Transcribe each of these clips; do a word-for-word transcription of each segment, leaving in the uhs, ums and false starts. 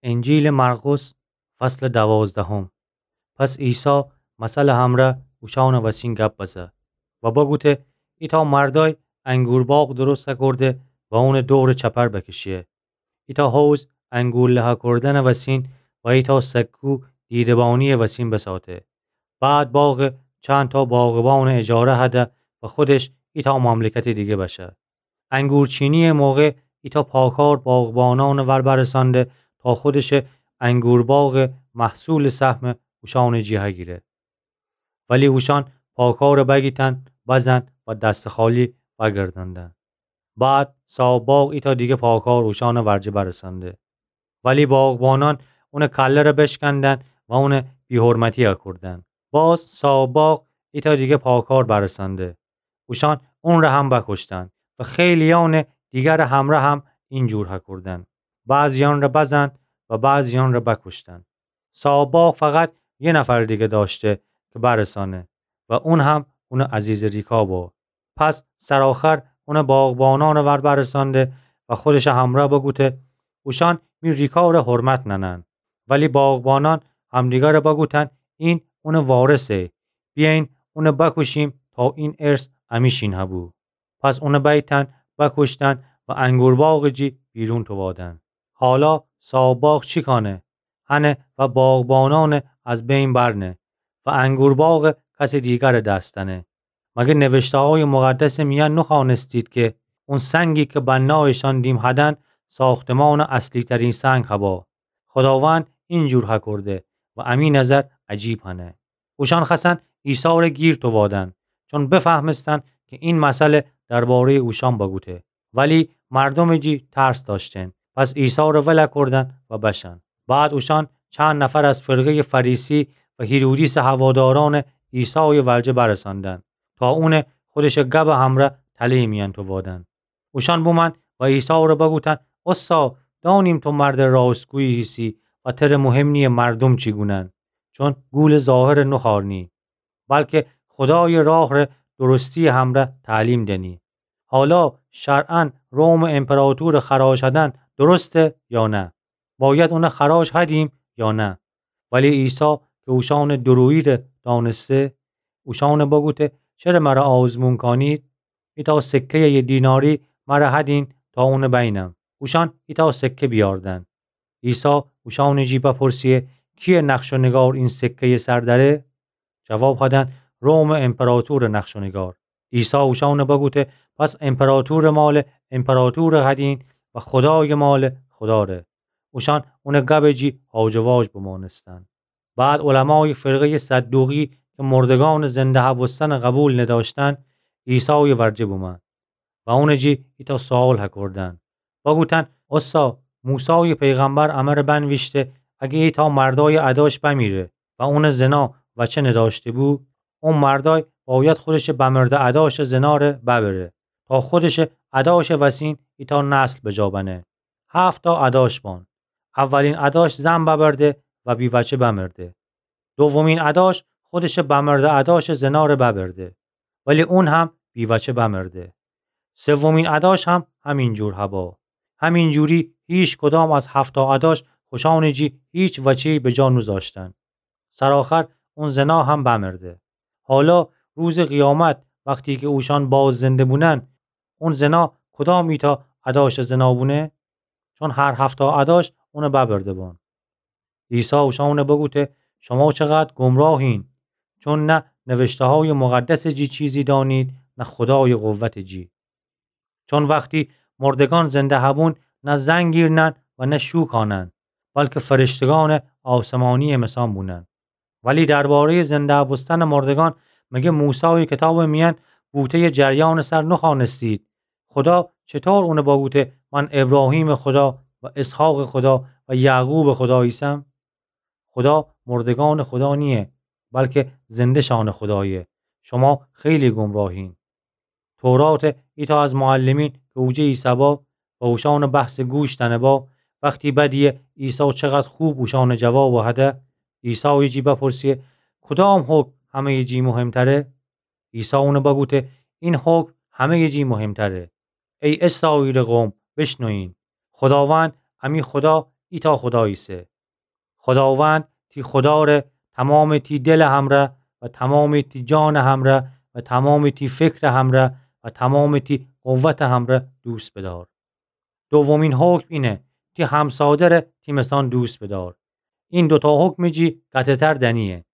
انجیلٚ مرقس، فصلٚ دوازدهم. پس عیسی مثلٚ همرأ اوشأنٚ وسین گپ بزه و بگوته: ایتأ مردأی انگورباغ درست هکرده و اونٚ دورٚ چپر بکشیه. ایتأ حوض انگور له هکردنٚ وسین و ایتأ سکو دیده‌بانی‌یٚ وسین بساته. بعد باغٚ چندتأ باغبانٚ اجاره هده و خودش ایتأ مملکتٚ دیگه بشه. انگورچینی‌یٚ موقع ایتأ پاکار باغبانأنٚ ور برسأنده تا خودشٚ انگورباغٚ محصولٚ سهمٚ اوشأنٚ جی هگیره. ولی اوشأن پاکارٚ بگیتن، بزن و دستٚ خالی وأگردندن. بعد صاحب‌باغ ایتأ دیگه پاکار اوشأنٚ ورجه برسأنده. ولی باغبانأن اونٚ کله‌ره بشکندن و اونٚ بی‌حرمتی هکردن. باز صاحب‌باغ ایتأ دیگه پاکار برسأنده. اوشأن اونٚره هم بکشتن و خیلیأنٚ دیگرٚ همرأ هم اینجور هکردن. بعضی‌یأنره بزن و بعضی‌یأنره بکشتن. صاحب‌باغ فقط یه نفرٚ دیگه دأشته که برسأنه و اون هم اونٚ عزیزٚ ریکا با. پس سرآخر اونٚ باغبانأنٚ ور برسأنده و خودشٚ همرأ بگوته: اوشأن می ریکاره حرمت ننن. ولی باغبانأن همدیگره بگوتن: این اونٚ وارثه. بیأیین اونه بکوشیم تا این ارث امی‌شین هبو. پس اونه بیتن، بکوشتن و انگورباغٚ جی بیرون تووادن. حالا صاحب‌باغ چی کانه؟ هنه و باغبانأنه از بین برنه و انگورباغه کسٚ دیگرٚ دس دأنه. مگه نوشته‌هایٚ مقدسٚ میأن نوخوأنستید که اون سنگی که بنایشان دیم هدن، ساختمانٚ اصلی‌ترین سنگ هبا؟ خداوند اینجور هکرده و امی نظر عجیب هنه. اوشأن خوأستن عیسی‌ره گیر تووادن، چون بفهمستن که این مثل درباره‌یٚ اوشأن بگوته. ولی مردومٚ جی ترس دأشتن، پس عیسی‌ره ول کودن و بشن. بعد اوشأن چند نفر از فرقه‌یٚ فریسی و هیرودیسٚ هوادارأنٚ عیسایٚ ورجه برسندن، تا اونه خودشٚ گبٚ همرأ تله‌یٚ میأن تووادن. اوشأن بومأن و عیسی‌ره بگوتن: اوستا، دأنیم تو مردٚ راستگویی هیسی و تره مهم نییه مردوم چی گونن، چون گولٚ ظاهر نوخوأرنی، بلکه خدایٚ راهره درستی‌یٚ همرأ تعلیم دنی. حالا شرعاً رومٚ امپراطورٚ خراج هدن درسته یا نه؟ باید اونه خراج هدیم یا نه؟ ولی عیسی که اوشأنٚ دورویی‌ره دأنسته، اوشأنه بگوته: چره مره آزمون کانید؟ ایتأ سکه‌یٚ یه دیناری مره هدین تا اونه بینم. اوشأن ایتأ سکه بیاردن. عیسی اوشأنٚ جی بپرسیه: کییه نقش و نگار این سکه‌یٚ سر دأره؟ جواب هدن: رومٚ امپراطورٚ نقش و نگار. عیسی اوشأنه بگوته: پس امپراطورٚ مالٚ امپراطوره هدین و خدایٚ مالٚ خداره. اوشأن اونٚ گبٚ جی هاج و واج بمأنستن. بعد علمایٚ فرقه‌یٚ صدوقی که مردگأنٚ زنده هبوستنٚ قبول ندأشتن، عیسایٚ ورجه بومأن و اونٚ جی ایتأ سؤال هکردن. بگوتن: اوستا، موسایٚ پیغمبر امره بنویشته، اگه ایتأ مردایٚ اداش بمیره و اونٚ زنا وچه ندأشته‌بو، اون مردای باید خودشٚ بمرده اداشٚ زناره ببره، تا خودشٚ اداشٚ وسین ایتأ نسل بجا بنه. هفت‌تأ اداش بان. اولین اداش زن ببرده و بی‌وچه بمرده. دومین اداش خودشٚ بمرده اداشٚ زناره ببرده، ولی اون هم بی‌وچه بمرده. سومین اداش هم همینجور هبا. همینجوری هیکدام از هفت‌تأ اداش خوشأنٚ جی هیچ وچه‌یی بجا نوذاشتن. سرآخر اون زنا هم بمرده. حالا روزٚ قیامت وختی که اوشأن باز زنده بونن، اون زنا کدام ایتأ اداشٚ زنا بونه؟ چون هر هفت‌تأ اداش اونه ببرده بان. عیسی اوشأنه بگوته: شما چقدر گمراهین، چون نه نوشته‌هایٚ مقدسٚ جی چیزی دانید، نه خدایٚ قوتٚ جی. چون وختی مردگان زنده هبون، نه زنگ گیرنن و نه شو کانن، بلکه فرشتگانٚ آسمانی‌یٚ مثان بونن. ولی درباره‌یٚ زنده هبوستنٚ مردگان، مگه موسایٚ کتابٚ میأن بوته یه جریانٚ سر نوخوأنستید؟ خدا چطور اونه بگوته: من ابراهیمٚ خدا و اسحاقٚ خدا و یعقوبٚ خدا ایسم؟ خدا مردگانٚ خدا نییه، بلکه زنده‌شانٚ خدایه. شما خیلی گمراهین. تورات ایتأ از معلمین که اوجه ایسه‌با و اوشأنٚ بحثٚ گوش دأنه‌با، وختی بدیه عیسی چقدر خوب اوشأنٚ جواب هده، عیسایٚ جی بپرسیه: کدام حکم همه‌یٚ جی مهمتره؟ عیسی اونه بگوته: این حکم همه‌یٚ جی مهمتره. ای اسرائیلٚ قوم، بشنوین. خداوند امی خدا ایتأ خدا ایسه. خداوند تی خداره تومامٚ تی دلٚ همرأ و تومامٚ تی جانٚ همرأ و تومامٚ تی فکرٚ همرأ و تومامٚ تی قوتٚ همرأ دوست بدار. دومین حکم اینه، تی همسادره تی مثأن دوست بدار. این دوتأ حکمٚ جی قطع‌تر دنییه.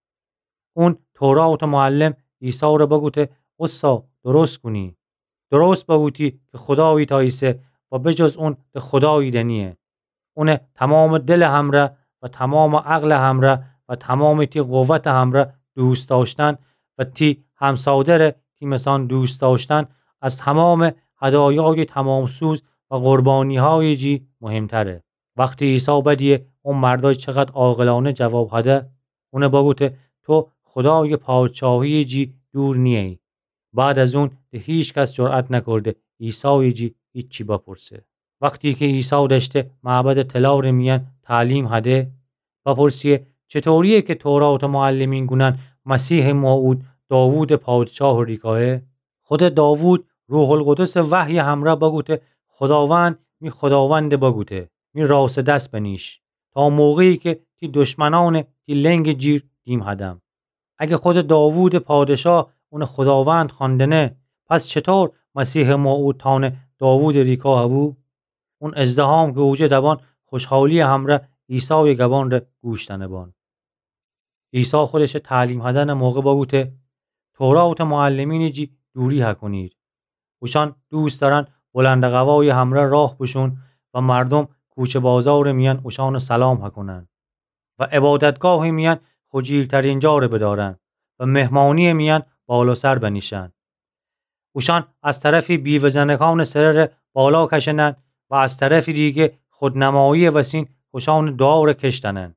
اون توراتٚ معلم عیساوره بگوته، اوستا، درست گونی. درست بگوتی کی خدا ایتأ ایسه و بجز اون ده خدایی دنییه. اونه تومامٚ دلٚ همرأ و تومامٚ عقلٚ همرأ و تومامٚ تی قوتٚ همرأ دوست دأشتن و تی همسادره تی مثأن دوست دأشتن از تومامٚ هدایایٚ تومام‌سوز و قربانیهایٚ جی مهمتره. وختی عیسی بدیه او مردأی چقدر عاقلأنه جواب هده، اونه بگوته، تو خدایٚ پادشاهییٚ جی دور نییی. بعد از اون ده هیکس جرأت نکرده عیسایٚ جی هیچی بپرسه. وختی کی عیسی دأشته معبدٚ طلارٚ میأن تعلیم هده، بپرسیه، چطورییه کی توراتٚ معلمین گونن مسیحٚ موعود داوودٚ پادشاهٚ ریکایه؟ خودٚ داوود روح‌القدسٚ وحیٚ همرأ بگوته، خداوند می خداونده بگوته، می راستٚ دس بنیش، تا موقعی کی تی دشمنأنٚ تی لنگٚ جیر دیم هدم. اگه خودٚ داوودٚ پادشاه اونٚ خداوند خوأندنه، پس چطور مسیحٚ موعود تأنه داوودٚ ریکا هبو؟ اون ازدحام کی اوجه دبان خوشحالییٚ همرأ عیسایٚ گبانٚ ره گوش دأنه بان. عیسی خودشٚ تعلیم هدنٚ موقع بگوته، توراتٚ معلمینٚ جی دوری هکونید. اوشأن دوست دأرن بلندٚ قوایٚ همرأ راه بوشون و مردوم کوچه بازارٚ میأن اوشأنٚ سلام هکونن و عبادتگاهٚ میأن خجیلترین جاره بدأرن و مهمانییٚ میأن بالاسر بنیشن. اوشأن از طرفی بیوه‌زنکانٚ سرٚ ره بالا کشنن و از طرفٚ دیگه خودنمایییٚ وسین خوشأنٚ دوعا ره کش دأنن.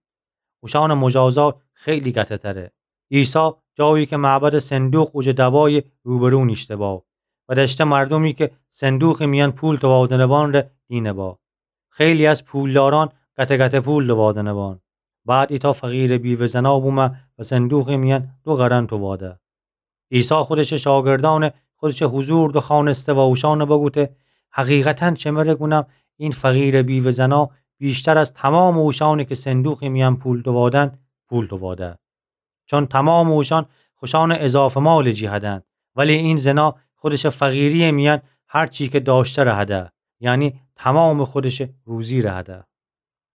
اوشأنٚ مجازات خیلی قطع‌تره. عیسی جایی کی معبدٚ صندوق اوجه دبایه روبرو نیشته با و دأشته مردومی کی صندوقٚ میأن پول دووادنه بان ره دینه با. خیلی از پولدارأن قطعه قطعه پول دووادنه بان. بعد ایتأ فقیرٚ بیوه‌زنا بومه و صندوقٚ میأن دو قرن دوواده. عیسی خودشٚ شاگردأن خودشٚ حضور دوخوأنسته و اوشأن بگوته، حقیقتاً شمره گونم، این فقیرٚ بیوه‌زنا ویشتر از تومامٚ اوشأنی کی صندوقٚ میأن پول دووادن، پول دوواده. چون تومامٚ اوشأن خوشأنٚ اضافه مالٚ جی هدن، ولی این زنا خودشٚ فقیرییٚ میأن هر چی کی دأشته ره هده، یعنی تومامٚ خودشٚ روزی ره هده.